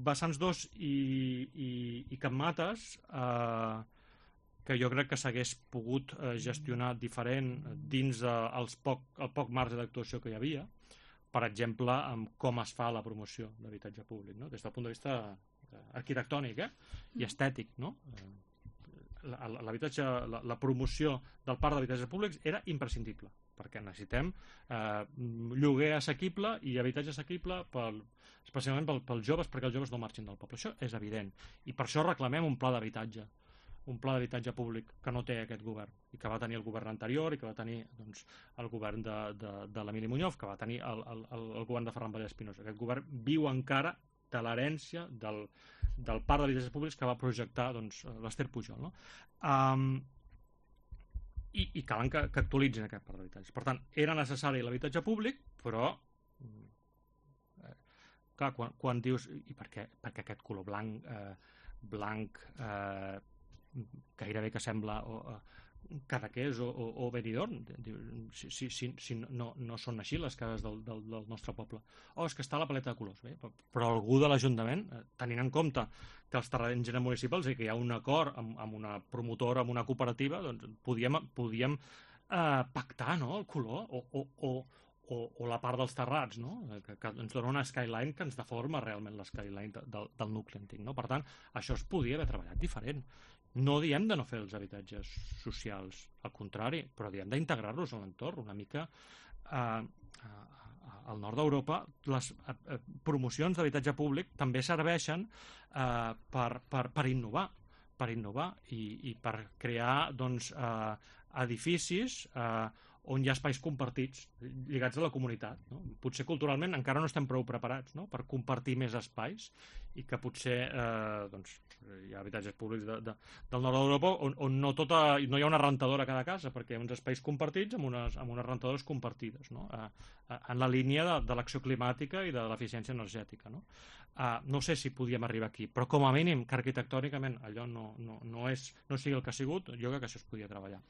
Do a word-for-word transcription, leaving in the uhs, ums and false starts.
Vessants dos i, i, i Capmates, eh, que jo crec que s'hagués pogut eh, gestionar diferent dins de, els poc, el poc marge d'actuació que hi havia, per exemple, amb com es fa la promoció d'habitatge públic, no? Des del punt de vista arquitectònic eh? i estètic, no? L'habitatge, la, la promoció del parc d'habitatges públics era imprescindible, perquè necessitem eh, lloguer assequible i habitatge assequible pel, especialment pel, pels joves, perquè els joves no marxin del poble. Això és evident, i per això reclamem un pla d'habitatge, un pla d'habitatge públic que no té aquest govern, i que va tenir el govern anterior, i que va tenir doncs, el govern de, de, de l'Emili Muñoz, que va tenir el, el, el govern de Ferran Vallès Espinosa. Aquest govern viu encara de l'herència del, del parc d'habitatges públics que va projectar doncs, l'Ester Pujol, no? Um, i, i calen que, que actualitzin aquest parc d'habitatges. Per tant, era necessari l'habitatge públic, però eh, clar, quan, quan dius i per què, perquè aquest color blanc eh, blanc eh, gairebé que sembla o, eh, Cadaqués o, o, o Benidorm, si, si, si, si no, no són així les cases del, del, del nostre poble. Oh, és que està a la paleta de colors. Bé, però algú de l'Ajuntament, tenint en compte que els terrenys eren municipals i que hi ha un acord amb, amb una promotora, amb una cooperativa, doncs podíem, podíem eh, pactar, no?, el color o, o, o, o, o la part dels terrats, no?, que, que ens dona una skyline que ens deforma realment l'eskyline de, del, del nucli antic, no? Per tant, això es podia haver treballat diferent. No diem de no fer els habitatges socials, al contrari, però diem d'integrar-los en l'entorn. Una mica eh, al nord d'Europa les eh, promocions d'habitatge públic també serveixen eh, per, per, per innovar, per innovar i, i per crear doncs, eh, edificis eh, on hi ha espais compartits lligats a la comunitat, no? Potser culturalment encara no estem prou preparats, no?, per compartir més espais, i que potser eh, doncs, hi ha habitatges públics de, de, del nord d'Europa on, on no, tota, no hi ha una rentadora a cada casa, perquè hi ha uns espais compartits amb unes, amb unes rentadores compartides, no?, eh, eh, en la línia de, de l'acció climàtica i de l'eficiència energètica, no? Eh, no sé si podíem arribar aquí, però com a mínim que arquitectònicament allò no, no, no, és, no sigui el que ha sigut, jo crec que això es podia treballar.